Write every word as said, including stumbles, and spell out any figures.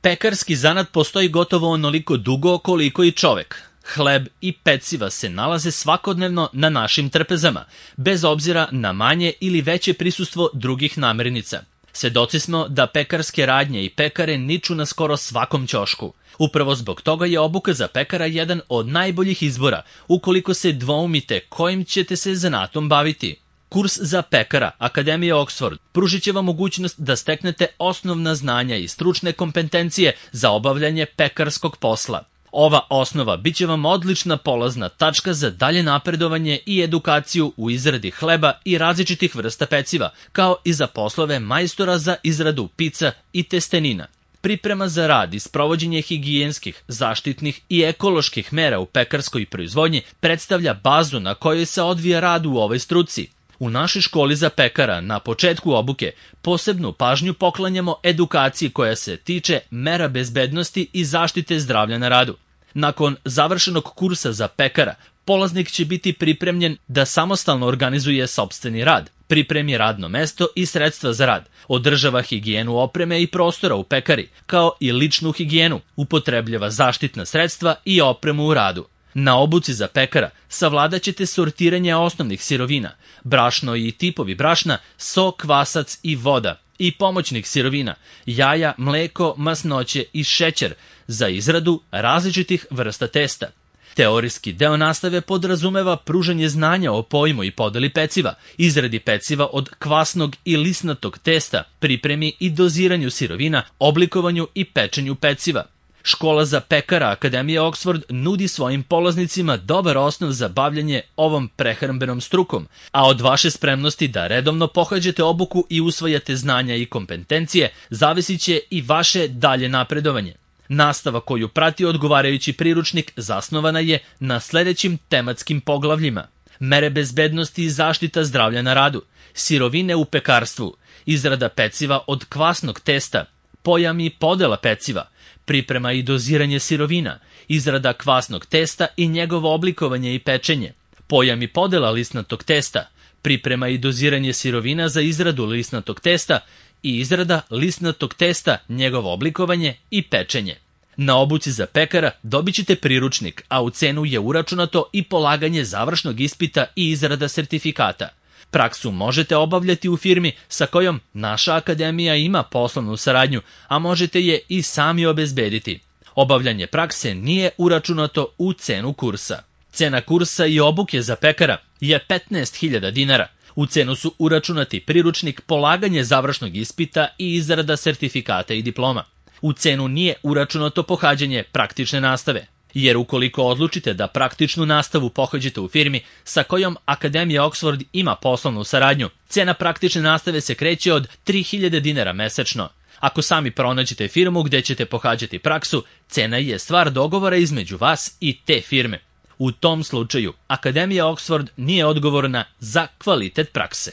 Pekarski zanat postoji gotovo onoliko dugo koliko i čovek. Hleb i peciva se nalaze svakodnevno na našim trpezama, bez obzira na manje ili veće prisustvo drugih namirnica. Svedoci smo da pekarske radnje i pekare niču na skoro svakom ćošku. Upravo zbog toga je obuka za pekara jedan od najboljih izbora, ukoliko se dvoumite kojim ćete se zanatom baviti. Kurs za pekara Akademije Oxford pružit će vam mogućnost da steknete osnovna znanja i stručne kompetencije za obavljanje pekarskog posla. Ova osnova bit će vam odlična polazna tačka za dalje napredovanje i edukaciju u izradi hleba i različitih vrsta peciva, kao i za poslove majstora za izradu pica i testenina. Priprema za rad i sprovođenje higijenskih, zaštitnih i ekoloških mera u pekarskoj proizvodnji predstavlja bazu na kojoj se odvija rad u ovoj struci. U našoj školi za pekara na početku obuke posebnu pažnju poklanjamo edukaciji koja se tiče mera bezbednosti i zaštite zdravlja na radu. Nakon završenog kursa za pekara, polaznik će biti pripremljen da samostalno organizuje sopstveni rad, pripremi radno mesto i sredstva za rad, održava higijenu opreme i prostora u pekari, kao i ličnu higijenu, upotrebljava zaštitna sredstva i opremu u radu. Na obuci za pekara savladat ćete sortiranje osnovnih sirovina, brašno i tipovi brašna, so, kvasac i voda, i pomoćnih sirovina, jaja, mleko, masnoće i šećer za izradu različitih vrsta testa. Teorijski deo nastave podrazumeva pružanje znanja o pojmu i podeli peciva, izradi peciva od kvasnog i lisnatog testa, pripremi i doziranju sirovina, oblikovanju i pečenju peciva. Škola za pekara Akademije Oxford nudi svojim polaznicima dobar osnov za bavljanje ovom prehrambenom strukom, a od vaše spremnosti da redovno pohađate obuku i usvajate znanja i kompetencije zavisit će i vaše dalje napredovanje. Nastava koju prati odgovarajući priručnik zasnovana je na sledećim tematskim poglavljima: mere bezbednosti i zaštita zdravlja na radu, sirovine u pekarstvu, izrada peciva od kvasnog testa, pojam i podela peciva, priprema i doziranje sirovina, izrada kvasnog testa i njegovo oblikovanje i pečenje, pojam i podela lisnatog testa, priprema i doziranje sirovina za izradu lisnatog testa i izrada lisnatog testa, njegovo oblikovanje i pečenje. Na obuci za pekara dobit ćete priručnik, a u cenu je uračunato i polaganje završnog ispita i izrada sertifikata. Praksu možete obavljati u firmi sa kojom naša akademija ima poslovnu saradnju, a možete je i sami obezbediti. Obavljanje prakse nije uračunato u cenu kursa. Cena kursa i obuke za pekara je petnaest hiljada dinara. U cenu su uračunati priručnik, polaganje završnog ispita i izrada sertifikata i diploma. U cenu nije uračunato pohađanje praktične nastave, jer ukoliko odlučite da praktičnu nastavu pohađate u firmi sa kojom Akademija Oxford ima poslovnu saradnju, cena praktične nastave se kreće od tri hiljade dinara mesečno. Ako sami pronađete firmu gde ćete pohađati praksu, cena je stvar dogovora između vas i te firme. U tom slučaju, Akademija Oxford nije odgovorna za kvalitet prakse.